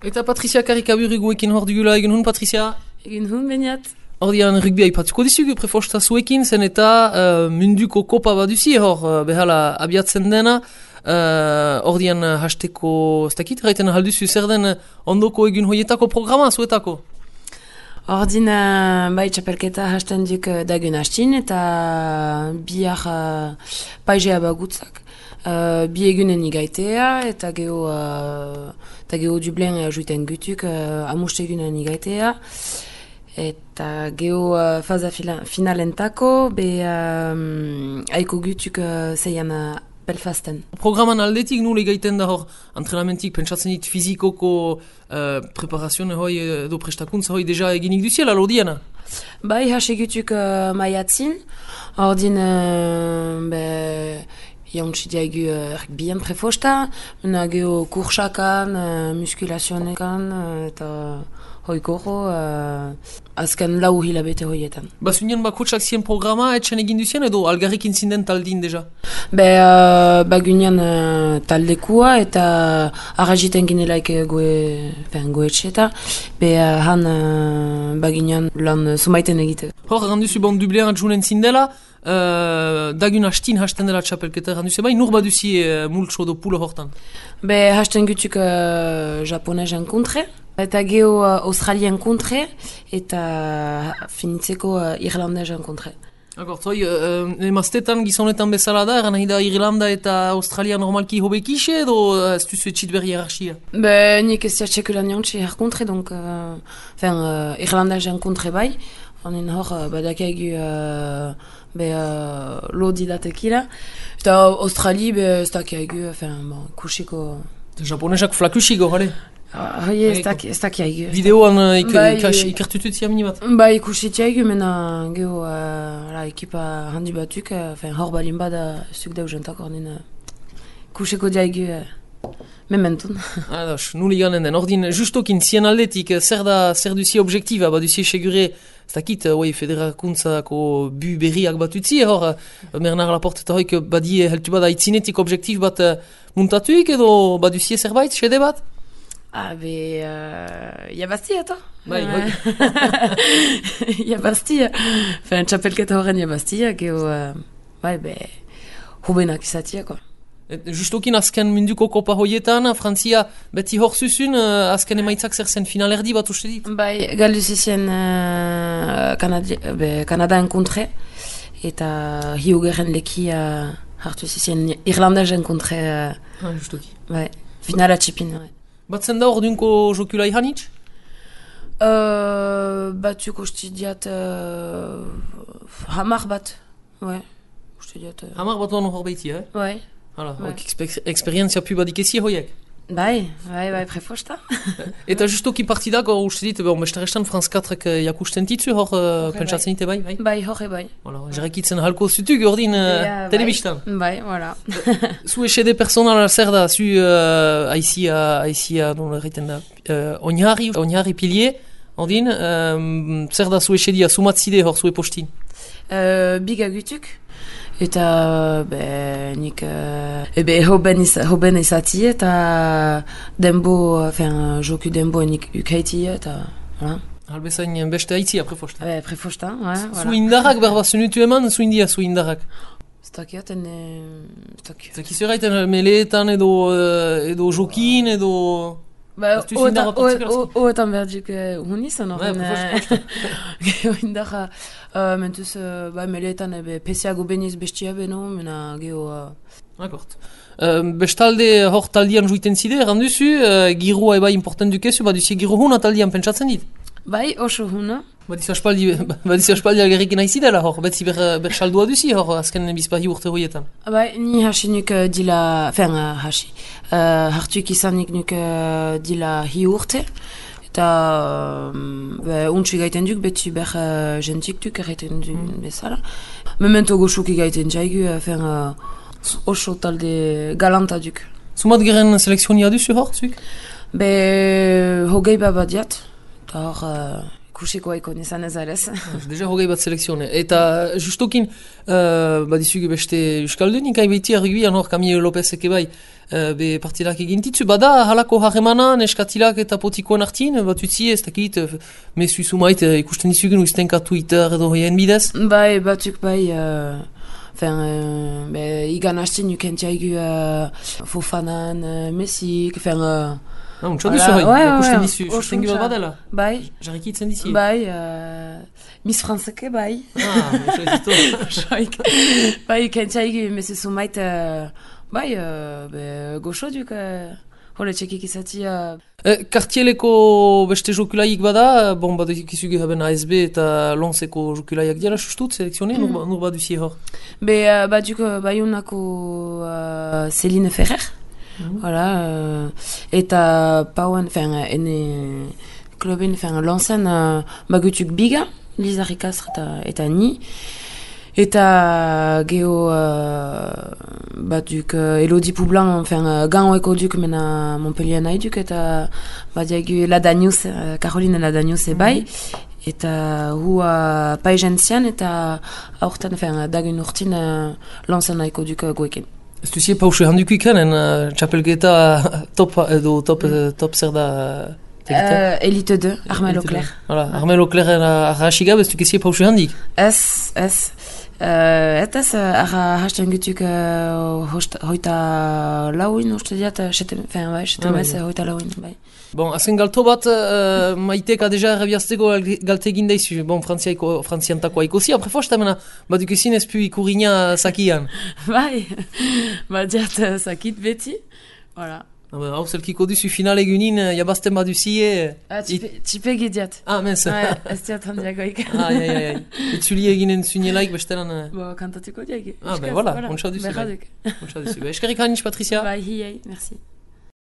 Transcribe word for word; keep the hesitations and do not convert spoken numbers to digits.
Eta Patricia Karikaburiguekin hor dugula egin hun, Patricia? Egin hun, beniat. Ordian rugby aipatuko dizugu prefosta zuekin, zen eta uh, munduko kopa baduzi hor, uh, behala abiatzen dena. Uh, ordian uh, hasteko, ez dakit, gaiten halduzu zer den ondoko egin hoietako programa zuetako? Ordin, uh, bai txapelketa hasten duk uh, dagun hastin eta bihar uh, paizea bagutzak. Uh, bi egunen igaitea eta geho uh, eta geho Dublin ajuiten gutuk uh, amuste egunen igaitea eta geho uh, faza fila, finalentako be um, aiko gutuk uh, zeian uh, Belfasten. Programan aldetik nule gaiten da hor antrenamentik pentsatzen dit fizikoko uh, preparazione hoi edo prestakuntza hoi deja eginik duziela lodiana? Bai, hasegutuk uh, maiatzin, ordin uh, be jauntsi diaigu uh, bien prefosta, mena geho kursakan, uh, muskulazionekan uh, eta hoikoro uh, azken lau hilabete hoietan. Bazunian bakotsak zien programa etxen egin duzien edo algarrikin zinden taldin deja? Be, uh, bagunian uh, taldekua eta arrajiten ginelaik goe, fen, goetxeta, be uh, han uh, bagunian lan sumaiten egite. Hor, randuzu bon Dublin adjunen zindela, uh, dagun hastin hasten dela txapelketa, randuzu bai, nur baduzi uh, multso do pulo hortan? Be, hasten gutuk uh, japonez enkontre, eta geho uh, australien kontre, eta finitzeko uh, irlandez enkontre. Agort, hoi, uh, emaztetan gizonetan bezala da, eran nahi da Irlanda eta Australia normalki hobekixe edo ez duzu etxit berri hierarchia? Be, nik ez jatxekulan jantxe herkontre, donc, uh, fen, uh, irlandez enkontre bai, honen hor, uh, badakaigu uh, be uh, lodi datekila, eta Australi, be, ez dakaigu, fen, bon, kusiko... Japonesak flakusiko, gale? Hoi, ez dakiaigu. Videoan ikertutut ziamini bat? Ba, ikusitiaigu, mena geho uh, ekipa handi batuk, uh, hor balin bada zuk dauzentak ordin uh, kusiko diaigu uh, mementun. Ados, nuli ganen den. Ordin, justokin zien aldetik, zer da, zer duzi objektiba, ba duzi segure, ez dakit, uh, federakuntzako bu berriak bat utzi, hor, uh, Bernard Laporte eta hoik badie heltu bada itzinetik objektif bat uh, muntatuik edo ba duzi zerbait, sede bat? Ah, be, uh, jabazti, eta? Bai, bai. Jabazti, fen, txapelketa horren jabazti, geho, uh, bai, be, hubenak izatia, ko. Justokin azken munduko kopa hoietan, Frantzia beti hor zuzun, uh, azken emaitzak zer zen finalerdi bat uste dit? Bai, galdu zizien uh, Kanadi, be, Kanada enkontre, eta hiu gerren leki uh, hartu zizien Irlandez enkontre. Uh, ah, justoki. Bai, finala txipin, bai. Batzen da ordunko jokula ihanitz? Uh, batzuk uste diat uh, hamar bat, ouais. Uste diat... Uh... Hamar bat hor beiti, eh? Ouais. Hala, ouais. Eksper eksperientzia pu badik ezi hoiek? Bai, bai, bai, prefosta. Eta justoki partidak hor uste dit, bon, bestarestan France katrek jakusten ditzu hor uh, pentsatzen dite bai? Bai, bai horre bai. Voilà, jerekitzen halko zutuk ordin uh, ja, telebistan. Bai, voilà. Zu esede personala zer da, zu uh, aizia, aizia, non erriten da, uh, oinharri, oinharri pilier, ordin, um, zer da zu esedia, sumatzide hor zu epostin? Uh, bigagutuk. Eta, be, nik, uh, ebe, hoben, iz, hoben izati eta denbo, fin, joku denbo nik ukaiti eta, voilà. Halbezain beste aitzia prefosta. Be, prefosta, ouais, voilà. Zu indarrak berba zunutu eman, zu india zu indarrak? Stakiaten, stak... Zakizeraiten meleetan edo, edo jokin edo... Ba, oetan berduk honi zen horren. Geho indarra, mentuz, ba, meleetan ebe peseago beniz bestia beno, mena geho... Akort. Bestalde hor taldian juiten zide, erranduzu, girua eba important dukezu, baduzi giru huna taldian pentsatzen dit? Bai, oso huna. Badizu aspaldi algerrikin aizidela hor, betzi ber, ber saldua duzi hor, azken bizpahi urte horietan. Bai, ni hasi nuk uh, dila, fen uh, hasi, uh, hartuik izanik nuk uh, dila hi urte, eta uh, untsu gaiten duk, betzi ber uh, jentik duk erraiten duk mm. bezala. Memento goxuki gaiten jaigu, uh, fen uh, oso talde galanta duk. Zumat geren selekzionia duzu hor, zuik? Be, hogei babadiat, eta hor... Uh, kusiko haiko nizan ez arez. Deja hogei bat selekzione. Eta justokin, uh, badizugu beste Euskaldunik, hai behiti arguian hor Camille Lopezek bai, uh, be partidak egintitzu, bada halako harremana neskatilak eta potikoen artin, bat utzi ez dakit, uh, mesu sumait uh, ikusten dizugun uiztenka Twitter edo hoien bidez? Bai, batzuk bai, uh, fen, uh, be, igan hastin ukentiaigu uh, Fofanan, uh, Messik, fen... Uh, Ah, untsa duzu hoi, ikusten dizu, susten gibel badela? Bai. Jarrikitzen dizi? Bai, uh, Miss Franceke bai. Ah, soizitu. Bai, kentxaigu, mesu sumait, uh, bai, uh, be, goxo duk, uh, hole txekik izati... Uh... Eh, Kartieleko beste jokulaik bada, bon, bat ikizugu haben A S B eta Lonseko jokulaiak dira, sustut, selekzione, mm. nur bat duzi hor? Be, uh, bat duk, uh, baiunako uh, Céline Ferrer. Mm-hmm. Voilà, euh, eta pauen, enfin, ene kluben, enfin, lansen uh, bagutuk biga, Lisa Ricastre eta, eta ni, eta geho uh, batuk uh, Elodie Poublan, enfin, uh, gan oeko duk mena Montpellier nahi duk, eta badiagu Ladanius, uh, Caroline Ladanius ebai, mm-hmm. eta hua uh, paizentzian, eta aurten, enfin, dagun urtin uh, lansen naiko duk uh, goekin. Ez duzie pausu handuko ikanen, uh, txapelketa top, edo top, mm. top zer da? Uh, Elite deux, Armel Auclair. Voilà, Armel Auclair arraxigab, ez dukezie pausu handik? Ez, ez. Uh, eta ez, arra hasten gutuk uh, hoita lauin, uste diat, setem, fen, bai, setem ez, hoita lauin, bai. Bon, azken galto bat, uh, maiteka deja errabiazteko galte egin daizu, bon, frantziantako haikozi, apre fosta mena, bat dukezin ez pu ikurina sakian. Bai, bat diat sakit beti, voilà. Hau zelkiko duzu final egunin, jabazten bat duzie... Ah, txipe gidiat. Ah, mens. Ouais, ez diat handiagoik. Ah, ai, ai, ai. Etzuli eginen zunielaik bestelan... Bo, kantatuko diak. Ah, ben, voilà, ontsa duzu. Berraduk. Ontsa duzu. Eskerrik hainitz, Patricia. Bai, hiei, merci.